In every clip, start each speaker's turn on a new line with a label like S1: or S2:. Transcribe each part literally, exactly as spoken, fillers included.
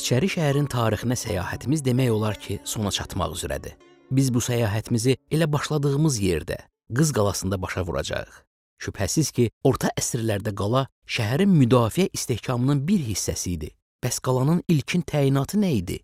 S1: İçəri şəhərin tarixinə səyahətimiz demək olar ki, sona çatmaq üzrədir. Biz bu səyahətimizi elə başladığımız yerdə, Qız qalasında başa vuracağıq. Şübhəsiz ki, orta əsrlərdə qala şəhərin müdafiə istehkamının bir hissəsi idi. Bəs qalanın ilkin təyinatı nə idi?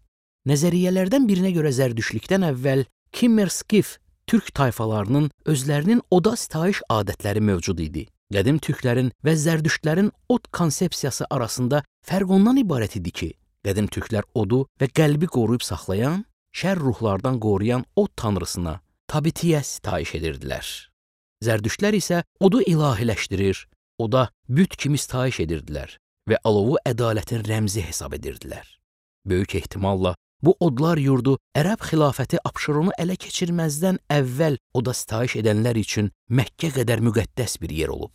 S1: Nəzəriyyələrdən birinə görə Zərdüştlükdən əvvəl Kimmer-Skif türk tayfalarının özlərinin oda sitayiş adətləri mövcud idi. Qədim türklərin və Zərdüştlərin od konsepsiyası arasında fərq ondan ibarət idi ki, qədim türklər odu və qəlbi qoruyub saxlayan, şər ruhlardan qoruyan od tanrısına, Tabitiyə sitayiş edirdilər. Zərdüştlər isə odu ilahiləşdirir, oda büt kimi sitayiş edirdilər və alovu ədalətin rəmzi hesab edirdilər. Böyük ehtimalla bu odlar yurdu Ərəb xilafəti Abşeronu ələ keçirməzdən əvvəl oda sitayiş edənlər üçün Məkkə qədər müqəddəs bir yer olub.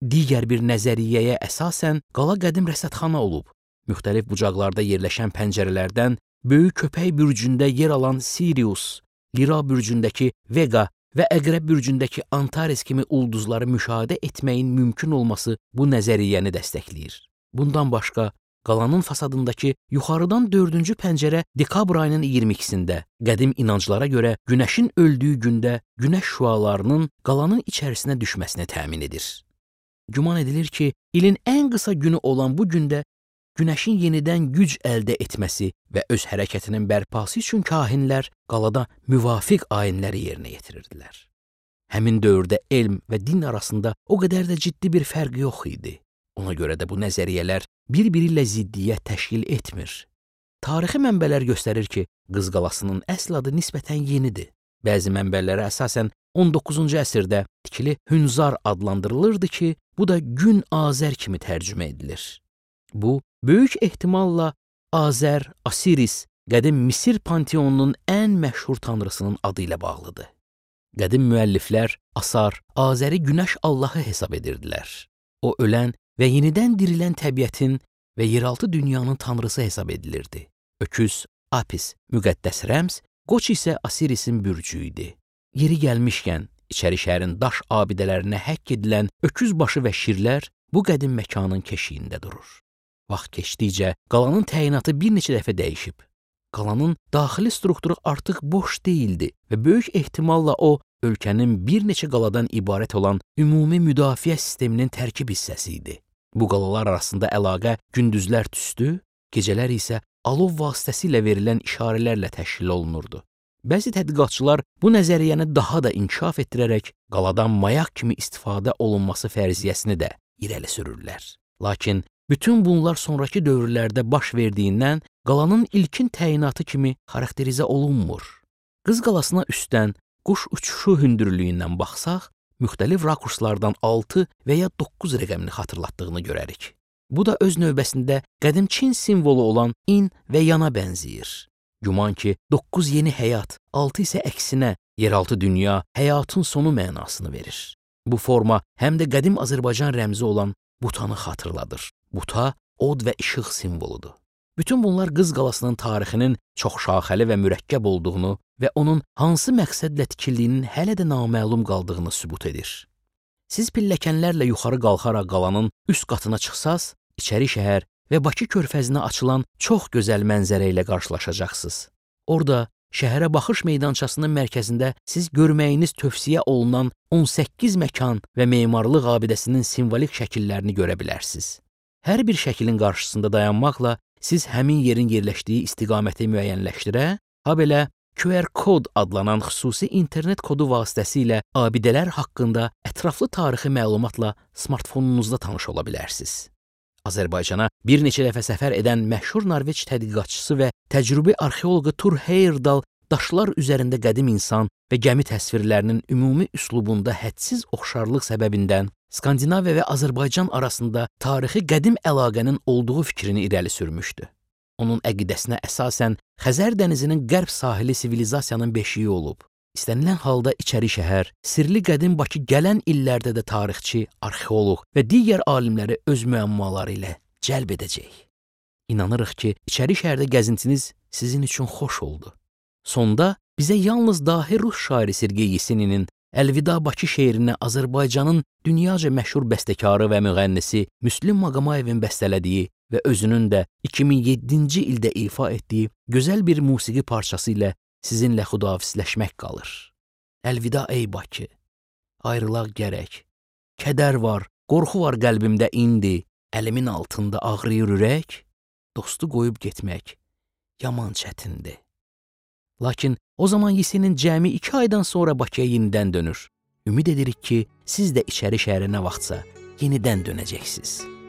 S1: Digər bir nəzəriyyəyə əsasən qala qədim rəsədxana olub. Müxtəlif bucaqlarda yerləşən pəncərələrdən böyük köpək bürcündə yer alan Sirius, Lira bürcündəki Vega və Əqrəb bürcündəki Antares kimi ulduzları müşahidə etməyin mümkün olması bu nəzəriyyəni dəstəkləyir. Bundan başqa, qalanın fasadındakı yuxarıdan dördüncü pəncərə dekabr ayının iyirmi ikisində qədim inanclara görə günəşin öldüyü gündə günəş şüalarının qalanın içərisinə düşməsini təmin edir. Güman edilir ki, ilin ən qısa günü olan bu gündə günəşin yenidən güc əldə etməsi və öz hərəkətinin bərpası üçün kahinlər qalada müvafiq ayinləri yerinə yetirirdilər. Həmin dövrdə elm və din arasında o qədər də ciddi bir fərq yox idi. Ona görə də bu nəzəriyyələr bir-biri ilə ziddiyyət təşkil etmir. Tarixi mənbələr göstərir ki, Qız qalasının əsl adı nisbətən yenidir. Bəzi mənbələrə əsasən on doqquzuncu əsrdə tikili Hünzar adlandırılırdı ki, bu da Gün Azər kimi tərcümə edilir. Bu, böyük ehtimalla Azər, Asiris, qədim Misir panteonunun ən məşhur tanrısının adı ilə bağlıdır. Qədim müəlliflər Asar, Azəri günəş Allahı hesab edirdilər. O, ölən və yenidən dirilən təbiətin və yeraltı dünyanın tanrısı hesab edilirdi. Öküz, Apis, müqəddəs rəmz, qoç isə Asirisin bürcü idi. Yeri gəlmişkən, içəri şəhərin daş abidələrinə həkk edilən öküz başı və şirlər bu qədim məkanın keşiyində durur. Vaxt keçdikcə qalanın təyinatı bir neçə dəfə dəyişib. Qalanın daxili strukturu artıq boş deyildi və böyük ehtimalla o, ölkənin bir neçə qaladan ibarət olan ümumi müdafiə sisteminin tərkib hissəsi idi. Bu qalalar arasında əlaqə gündüzlər tüstü, gecələr isə alov vasitəsilə verilən işarələrlə təşkil olunurdu. Bəzi tədqiqatçılar bu nəzəriyyəni daha da inkişaf etdirərək qaladan mayaq kimi istifadə olunması fərziyyəsini də irəli sürürlər. Lakin bütün bunlar sonraki dövrlərdə baş verdiyindən qalanın ilkin təyinatı kimi xarakterizə olunmur. Qız qalasına üstdən quş uçuşu hündürlüyündən baxsaq, müxtəlif rakurslardan altı və ya doqquz rəqəmini xatırlatdığını görərik. Bu da öz növbəsində qədim Çin simvolu olan in və yana bənzəyir. Güman ki, doqquz yeni həyat, altı isə əksinə, yeraltı dünya, həyatın sonu mənasını verir. Bu forma həm də qədim Azərbaycan rəmzi olan butanı xatırladır. Buta, od və işıq simvoludur. Bütün bunlar Qız qalasının tarixinin çox şaxəli və mürəkkəb olduğunu və onun hansı məqsədlə tikildiyinin hələ də naməlum qaldığını sübut edir. Siz pilləkənlərlə yuxarı qalxaraq qalanın üst qatına çıxsaz, içəri şəhər və Bakı körfəzinə açılan çox gözəl mənzərə ilə qarşılaşacaqsınız. Orada şəhərə baxış meydançasının mərkəzində siz görməyiniz tövsiyə olunan on səkkiz məkan və memarlıq abidəsinin simvolik şəkillərini görə bilərsiniz. Hər bir şəklin qarşısında dayanmaqla siz həmin yerin yerləşdiyi istiqaməti müəyyənləşdirə, habelə Q R kod adlanan xüsusi internet kodu vasitəsilə abidələr haqqında ətraflı tarixi məlumatla smartfonunuzda tanış ola bilərsiniz. Azərbaycana bir neçə dəfə səfər edən məşhur Norveç tədqiqatçısı və təcrübi arxeoloqu Tur Heyerdahl daşlar üzərində qədim insan və gəmi təsvirlərinin ümumi üslubunda hədsiz oxşarlıq səbəbindən Skandinaviya və Azərbaycan arasında tarixi qədim əlaqənin olduğu fikrini irəli sürmüşdü. Onun əqidəsinə əsasən Xəzər dənizinin qərb sahili sivilizasiyanın beşiyi olub. İstənilən halda içəri şəhər, sirli qədim Bakı gələn illərdə də tarixçi, arxeoloq və digər alimləri öz müəmmaları ilə cəlb edəcək. İnanırıq ki, içəri şəhərdə gəzintiniz sizin üçün xoş oldu. Sonda bizə yalnız dahi Rus şairi Sergey Yeseninin Əlvida Bakı şeirini Azərbaycanın dünyaca məşhur bəstəkarı və müğənnisi Müslüm Maqomayevin bəstələdiyi və özünün də iki min yeddinci ildə ifa etdiyi gözəl bir musiqi parçası ilə sizinlə xudahafizləşmək qalır. Əlvida ey Bakı, ayrılaq gərək. Kədər var, qorxu var qəlbimdə indi, əlimin altında ağrıyır ürək, dostu qoyub getmək yaman çətindir. Lakin o zaman Yesenin cəmi iki aydan sonra Bakıya yenidən dönür. Ümid edirik ki, siz də içəri şəhərə nə vaxtsa yenidən dönəcəksiniz.